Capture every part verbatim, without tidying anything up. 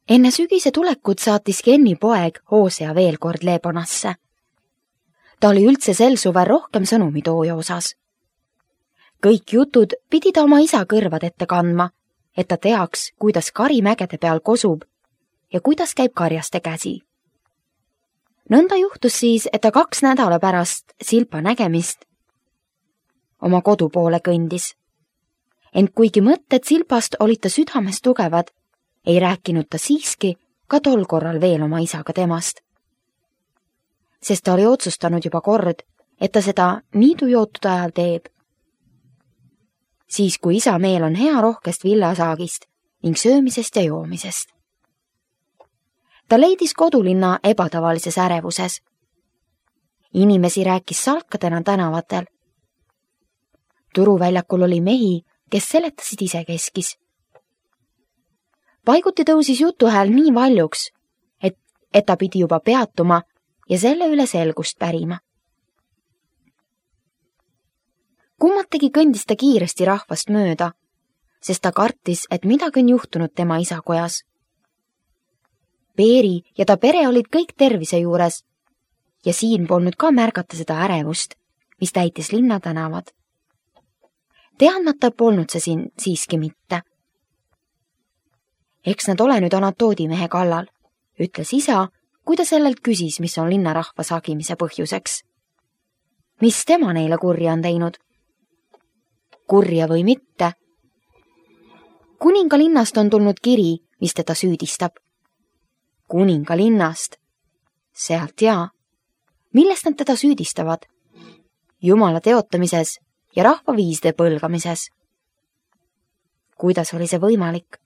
Enne sügise tulekut saatis Kenni poeg Hosea veel kord Leebonasse. Ta oli üldse sel suvel rohkem sõnumitooja osas. Kõik jutud pidi ta oma isa kõrvad ette kandma, et ta teaks, kuidas kari mägede peal kosub ja kuidas käib karjaste käsi. Nõnda juhtus siis, et ta kaks nädala pärast Silpa nägemist oma kodu poole kõndis. Ent kuigi mõtted Silpast olid ta südames tugevad, ei rääkinud ta siiski ka tol korral veel oma isaga temast. Sest ta oli otsustanud juba kord, et ta seda niidujootude ajal teeb. Siis, kui isa meel on hea rohkest villasaagist ning söömisest ja joomisest. Ta leidis kodulinna ebatavalises ärevuses. Inimesi rääkis salkadena tänavatel. Turuväljakul oli mehi, kes seletasid isekeskis. Paiguti tõusis jutuhääl nii valjuks, et, et ta pidi juba peatuma ja selle üle selgust pärima. Kummategi kõndis ta kiiresti rahvast mööda, sest ta kartis, et midagi on juhtunud tema isakojas. Peeri ja ta pere olid kõik tervise juures ja siin polnud ka märgata seda ärevust, mis täitis linna tänavad. Teadmata polnud see siin siiski mitte. Eks nad ole nüüd Anatoodi mehe kallal, ütles isa, kui ta sellelt küsis, mis on linnarahva sagimise põhjuseks. Mis tema neile kurja on teinud? Kurja või mitte? Kuninga linnast on tulnud kiri, mis teda süüdistab. Kuninga linnast? Sealt jaa. Millest nad teda süüdistavad? Jumala teotamises ja rahvaviiside põlgamises. Kuidas oli see võimalik?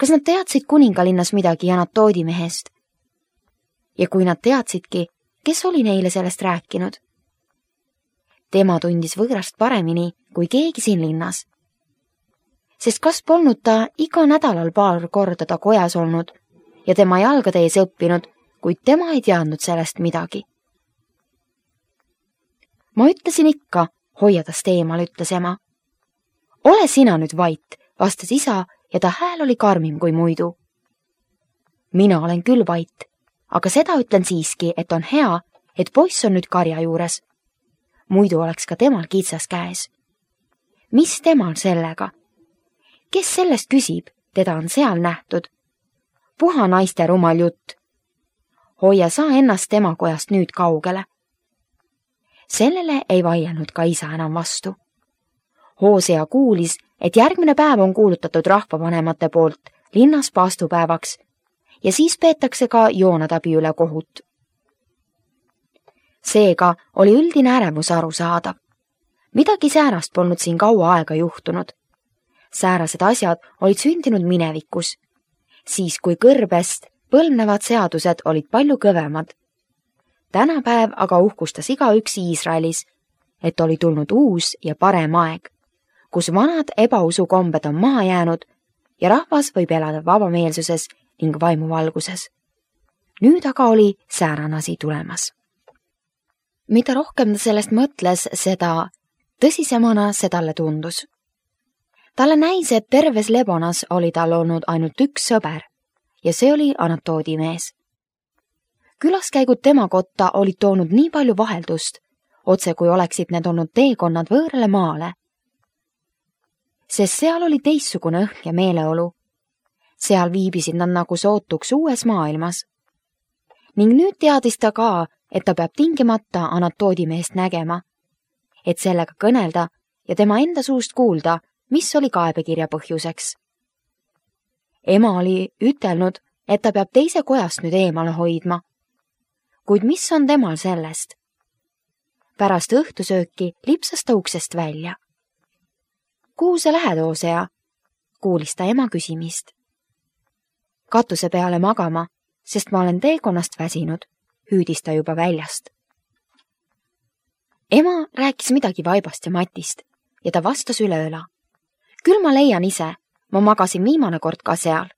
Kas nad teadsid kuningalinnas midagi Anatoodi mehest? Ja kui nad teadsidki, kes oli neile sellest rääkinud? Tema tundis võõrast paremini kui keegi siin linnas. Sest kas polnud ta iga nädalal paar korda ta kojas olnud ja tema jalgade ees õppinud, kuid tema ei teadnud sellest midagi. Ma ütlesin ikka, hoiadast eemal, ütles ema. Ole sina nüüd vait, vastas isa ja ta hääl oli karmim kui muidu. Mina olen küll vait, aga seda ütlen siiski, et on hea, et poiss on nüüd karja juures. Muidu oleks ka temal kitsas käes. Mis temal sellega? Kes sellest küsib, teda on seal nähtud? Puha naiste rumal jutt. Hoia sa ennast tema kojast nüüd kaugele. Sellele ei vaielnud ka isa enam vastu. Hosea kuulis, et järgmine päev on kuulutatud rahvavanemate poolt linnas paastupäevaks ja siis peetakse ka Joonadabi üle kohut. Seega oli üldine ärevus arusaadav. Midagi säärast polnud siin kaua aega juhtunud. Säärased asjad olid sündinud minevikus, siis kui kõrbest põlvnevad seadused olid palju kõvemad. Tänapäev aga uhkustas igaüks Iisraelis, et oli tulnud uus ja parem aeg, kus vanad ebausukombed on maha jäänud ja rahvas võib elada vabameelsuses ning vaimuvalguses. Nüüd aga oli säärane asi tulemas. Mida rohkem ta sellest mõtles, seda tõsisemana see talle tundus. Talle näis, et terves Lebonas oli tal olnud ainult üks sõber ja see oli Anatoodi mees. Külaskäigud tema kotta olid toonud nii palju vaheldust, otse kui oleksid need olnud teekonnad võõrale maale. Sest seal oli teissugune õhk ja meeleolu. Seal viibisid nad nagu sootuks uues maailmas. Ning nüüd teadis ta ka, et ta peab tingimata Anatoodi meest nägema, et sellega kõnelda ja tema enda suust kuulda, mis oli kaebekirja põhjuseks. Ema oli ütelnud, et ta peab teise kojast nüüd eemale hoidma. Kuid mis on temal sellest? Pärast õhtusööki lipsas ta uksest välja. Kuhu sa lähed, Hosea? Kuulis ta ema küsimist. Katuse peale magama, sest ma olen teekonnast väsinud, hüüdis ta juba väljast. Ema rääkis midagi vaibast ja matist ja ta vastas üleöla. Küll ma leian ise, ma magasin viimane kord ka seal.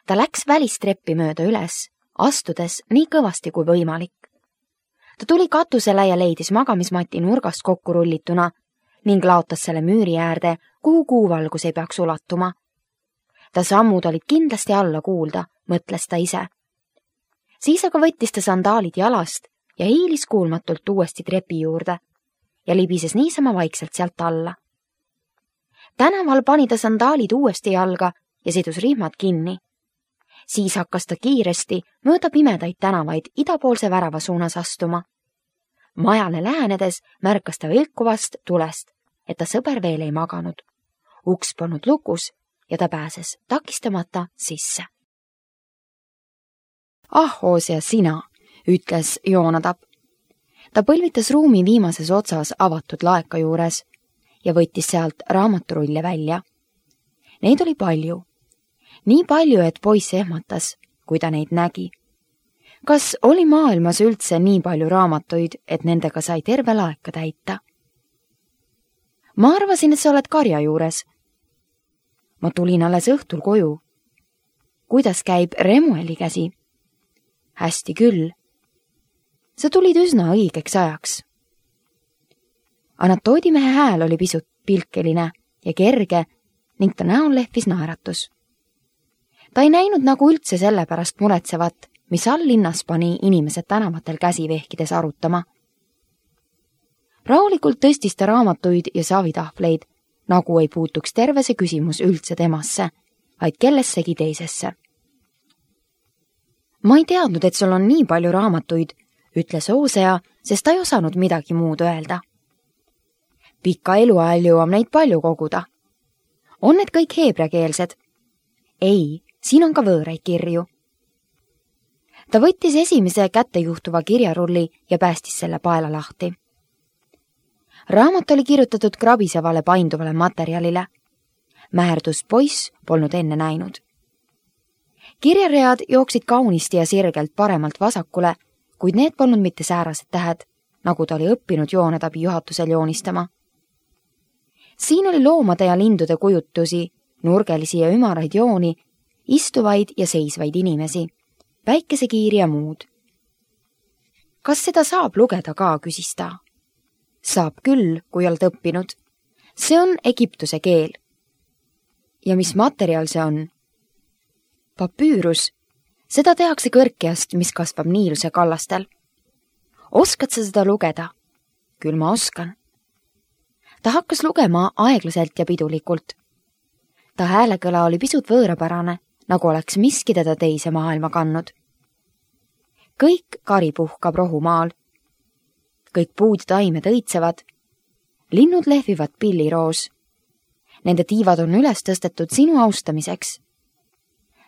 Ta läks välistreppi mööda üles, astudes nii kõvasti kui võimalik. Ta tuli katusele ja leidis magamismati nurgast kokku rullituna ning laotas selle müüri äärde, kuhu kuuvalgus ei peaks ulatuma. ta sammud olid kindlasti alla kuulda, mõtles ta ise. Siis aga võttis ta sandaalid jalast ja hiilis kuulmatult uuesti trepi juurde ja libises niisama vaikselt sealt alla. Tänaval pani ta sandaalid uuesti jalga ja sidus rihmad kinni. Siis hakkas ta kiiresti mööda pimedaid tänavaid idapoolse värava suunas astuma. Majale lähenedes märkas ta vilkuvast tulest, et ta sõber veel ei maganud. Uks polnud lukus ja ta pääses takistamata sisse. Ah, Hosea, sina, ütles Joonadab. Ta põlvitas ruumi viimases otsas avatud laeka juures ja võttis sealt raamaturulle välja. Neid oli palju. Nii palju, et poiss ehmatas, kui ta neid nägi. Kas oli maailmas üldse nii palju raamatuid, et nendega sai terve laeka täita? Ma arvasin, et sa oled karja juures. Ma tulin alles õhtul koju. Kuidas käib Remueli käsi? Hästi küll. Sa tulid üsna õigeks ajaks. Anatoodimehe hääl oli pisut pilkeline ja kerge ning ta näol lehvis naeratus. Ta ei näinud nagu üldse selle pärast muretsevat, mis all linnas pani inimesed tänavatel käsi vehkides arutama. Rahulikult tõstis ta raamatuid ja saavitahvleid, nagu ei puutuks terve see küsimus üldse temasse, vaid kellessegi teisesse. Ma ei teadnud, et sul on nii palju raamatuid, ütles Hosea, sest ta ei osanud midagi muud öelda. Pika eluajal jõuab neid palju koguda. On need kõik heebreakeelsed? Ei, siin on ka võõraid kirju. Ta võttis esimese kätte juhtuva kirjarulli ja päästis selle paela lahti. Raamat oli kirjutatud krabisevale painduvale materjalile. Määrdus poiss polnud enne näinud. Kirjaread jooksid kaunisti ja sirgelt paremalt vasakule, kuid need polnud mitte säärased tähed, nagu ta oli õppinud Joonadabi juhatusel joonistama. Siin oli loomade ja lindude kujutusi, nurgelisi ja ümaraid jooni, istuvaid ja seisvaid inimesi, päikesekiiri ja muud. Kas seda saab lugeda ka, küsis ta. Saab küll, kui oled õppinud. See on Egiptuse keel. Ja mis materjal see on? Papüürus. Seda tehakse kõrkjast, mis kasvab Niiluse kallastel. Oskad sa seda lugeda? Küll ma oskan. Ta hakkas lugema aeglaselt ja pidulikult. Ta häälekõla oli pisut võõrapärane, nagu oleks miski teda teise maailma kandnud. Kõik kari puhkab rohumaal. Kõik puud ja taimed õitsevad. Linnud lehvivad pilliroos. Nende tiivad on üles tõstetud sinu austamiseks.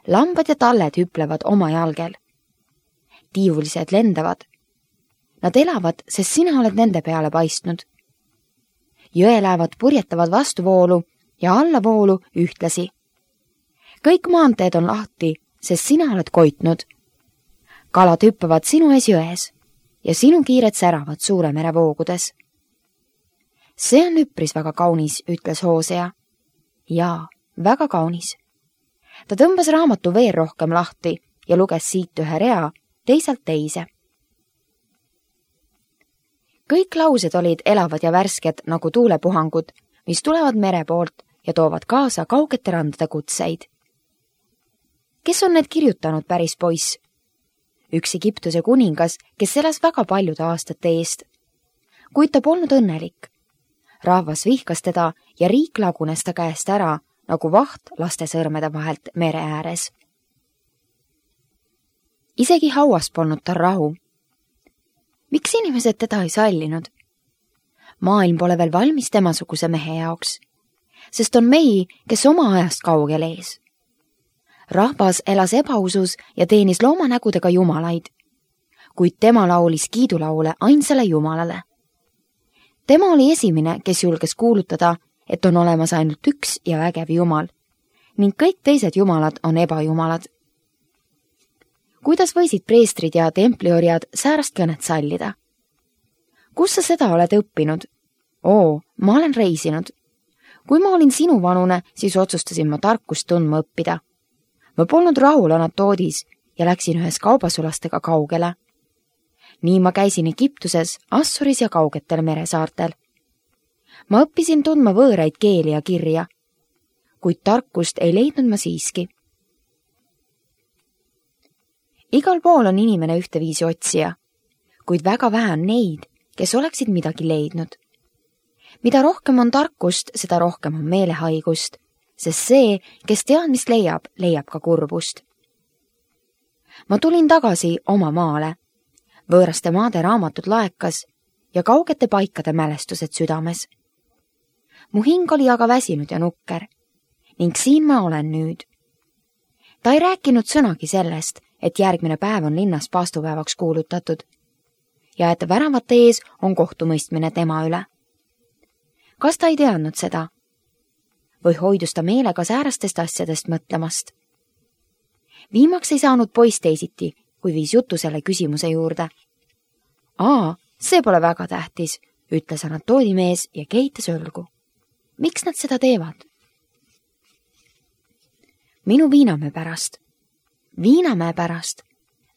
Lambad ja talled hüplevad oma jalgel. Tiivulised lendavad. Nad elavad, sest sina oled nende peale paistnud. Jõelaevad purjetavad vastuvoolu ja allavoolu ühtlasi. Kõik maanteed on lahti, sest sina oled koitnud. Kalad hüppavad sinu ees jões ja sinu kiired säravad suure mere voogudes. See on üpris väga kaunis, ütles Hosea. Jaa, väga kaunis. Ta tõmbas raamatu veel rohkem lahti ja luges siit ühe rea, teisalt teise. Kõik laused olid elavad ja värsked nagu tuulepuhangud, mis tulevad mere poolt ja toovad kaasa kaugete randade kutseid. Kes on need kirjutanud, päris poiss? Üks Egiptuse kuningas, kes elas väga paljude aastate eest. Kuid ta polnud õnnelik. Rahvas vihkas teda ja riik lagunes ta käest ära, nagu vaht laste sõrmede vahelt mere ääres. Isegi hauas polnud tal rahu. Miks inimesed teda ei sallinud? Maailm pole veel valmis temasuguse mehe jaoks, sest on mehi, kes oma ajast kaugel ees. Rahvas elas ebausus ja teenis loomanägudega jumalaid, kuid tema laulis kiidulaule ainsale jumalale. Tema oli esimene, kes julges kuulutada, et on olemas ainult üks ja vägev jumal, ning kõik teised jumalad on ebajumalad. Kuidas võisid preestrid ja templiorjad säärast kõnet sallida? Kus sa seda oled õppinud? Oo, ma olen reisinud. Kui ma olin sinu vanune, siis otsustasin ma tarkust tundma õppida. Ma polnud rahul Anatoodis ja läksin ühes kaubasulastega kaugele. Nii ma käisin Egiptuses, Assuris ja kaugetel meresaartel. Ma õppisin tundma võõraid keeli ja kirja. kuid tarkust ei leidnud ma siiski. Igal pool on inimene ühteviisi otsija, kuid väga vähe on neid, kes oleksid midagi leidnud. Mida rohkem on tarkust, seda rohkem on meelehaigust, sest see, kes teadmist leiab, leiab ka kurbust. Ma tulin tagasi oma maale, võõraste maade raamatud laekas ja kaugete paikade mälestused südames. Mu hing oli aga väsinud ja nukker ning siin ma olen nüüd. Ta ei rääkinud sõnagi sellest, et järgmine päev on linnas paastupäevaks kuulutatud ja et väravate ees on kohtumõistmine tema üle. Kas ta ei teadnud seda? Või hoidus ta meelega säärastest asjadest mõtlemast? Viimaks ei saanud poiss teisiti, kui viis jutu selle küsimuse juurde. Aa, see pole väga tähtis, ütles anatoodimees ja kehitas õlgu. Miks nad seda teevad? Minu Viinamäe pärast. Viinamäe pärast?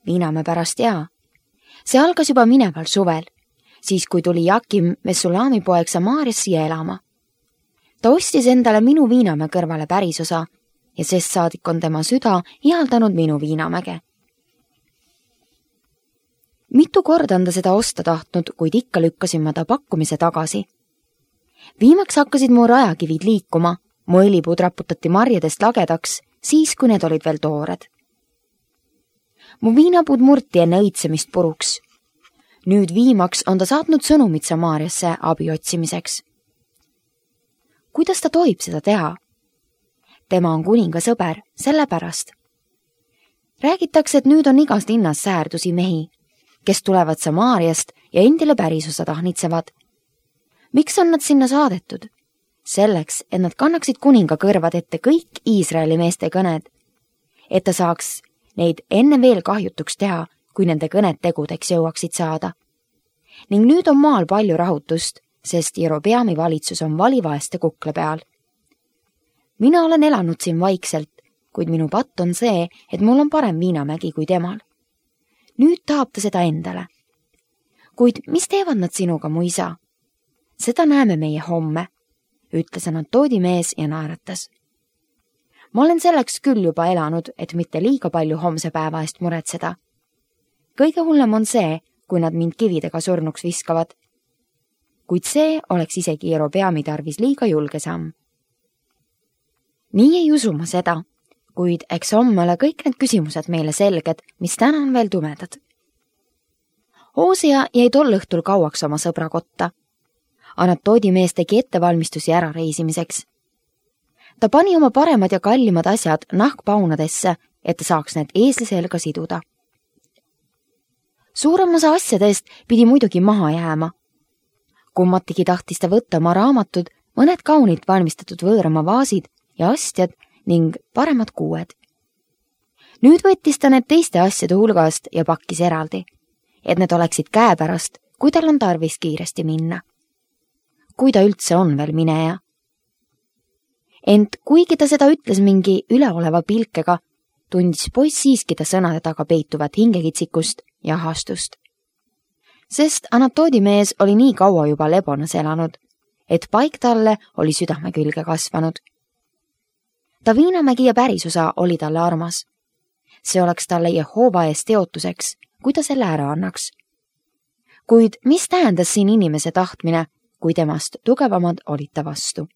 Viinamäe pärast, jaa. See algas juba mineval suvel, siis kui tuli Jakim Messulami poeg Samaarias siia elama. Ta ostis endale minu Viinamäe kõrvale pärisosa ja sest saadik on tema süda ihaldanud minu Viinamäge. Mitu korda on ta seda osta tahtnud, kuid ikka lükkasin ma ta pakkumise tagasi. Viimaks hakkasid mu rajakivid liikuma, mu õlipud raputati marjadest lagedaks, siis kui need olid veel toored. Mu viinapud murti enne õitsemist puruks. Nüüd viimaks on ta saatnud sõnumid Samaariasse abi otsimiseks. Kuidas ta tohib seda teha? Tema on kuninga sõber, sellepärast. Räägitakse, et nüüd on igas linnas säärdusi mehi, kes tulevad Samaariast ja endile pärisosa tahnitsevad. Miks on nad sinna saadetud? Selleks, et nad kannaksid kuninga kõrvad ette kõik Iisraeli meeste kõned, et ta saaks neid enne veel kahjutuks teha, kui nende kõned tegudeks jõuaksid saada. Ning nüüd on maal palju rahutust, sest Jerobeami valitsus on valivaeste kukle peal. Mina olen elanud siin vaikselt, kuid minu patt on see, et mul on parem Viinamägi kui temal. Nüüd tahab ta seda endale. Kuid mis teevad nad sinuga, mu isa? Seda näeme meie homme, ütles anatoodimees ja naeratas. Ma olen selleks küll juba elanud, et mitte liiga palju homse päeva eest muretseda. Kõige hullem on see, kui nad mind kividega surnuks viskavad. Kuid see oleks isegi Jerobeami tarvis liiga julge samm. Nii ei usu ma seda, kuid eks homme ole kõik need küsimused meile selged, mis täna on veel tumedad. Hosea jäi tol õhtul kauaks oma sõbra kotta. Anatoodimees tegi ettevalmistusi ära reisimiseks. Ta pani oma paremad ja kallimad asjad nahkpaunadesse, et ta saaks need eesli selga siduda. Suurem osa asjadest pidi muidugi maha jääma. Kummatigi tahtis ta võtta oma raamatud, mõned kaunilt valmistatud võõrama vaasid ja astjad ning paremad kuued. Nüüd võttis ta need teiste asjade hulgast ja pakkis eraldi, et need oleksid käepärast, kui tal on tarvis kiiresti minna. Kui ta üldse on veel mineja. Ent kuigi ta seda ütles mingi üleoleva pilkega, tundis poiss siiski ta sõnade taga peituvat hingekitsikust ja ahastust. Sest anatoodimees oli nii kaua juba Lebonas elanud, et paik talle oli südame külge kasvanud. Ta Viinamägi ja pärisosa oli talle armas. See oleks talle Jehova ees teotuseks, kui ta selle ära annaks. Kuid mis tähendas siin inimese tahtmine, kui temast tugevamad olid ta vastu?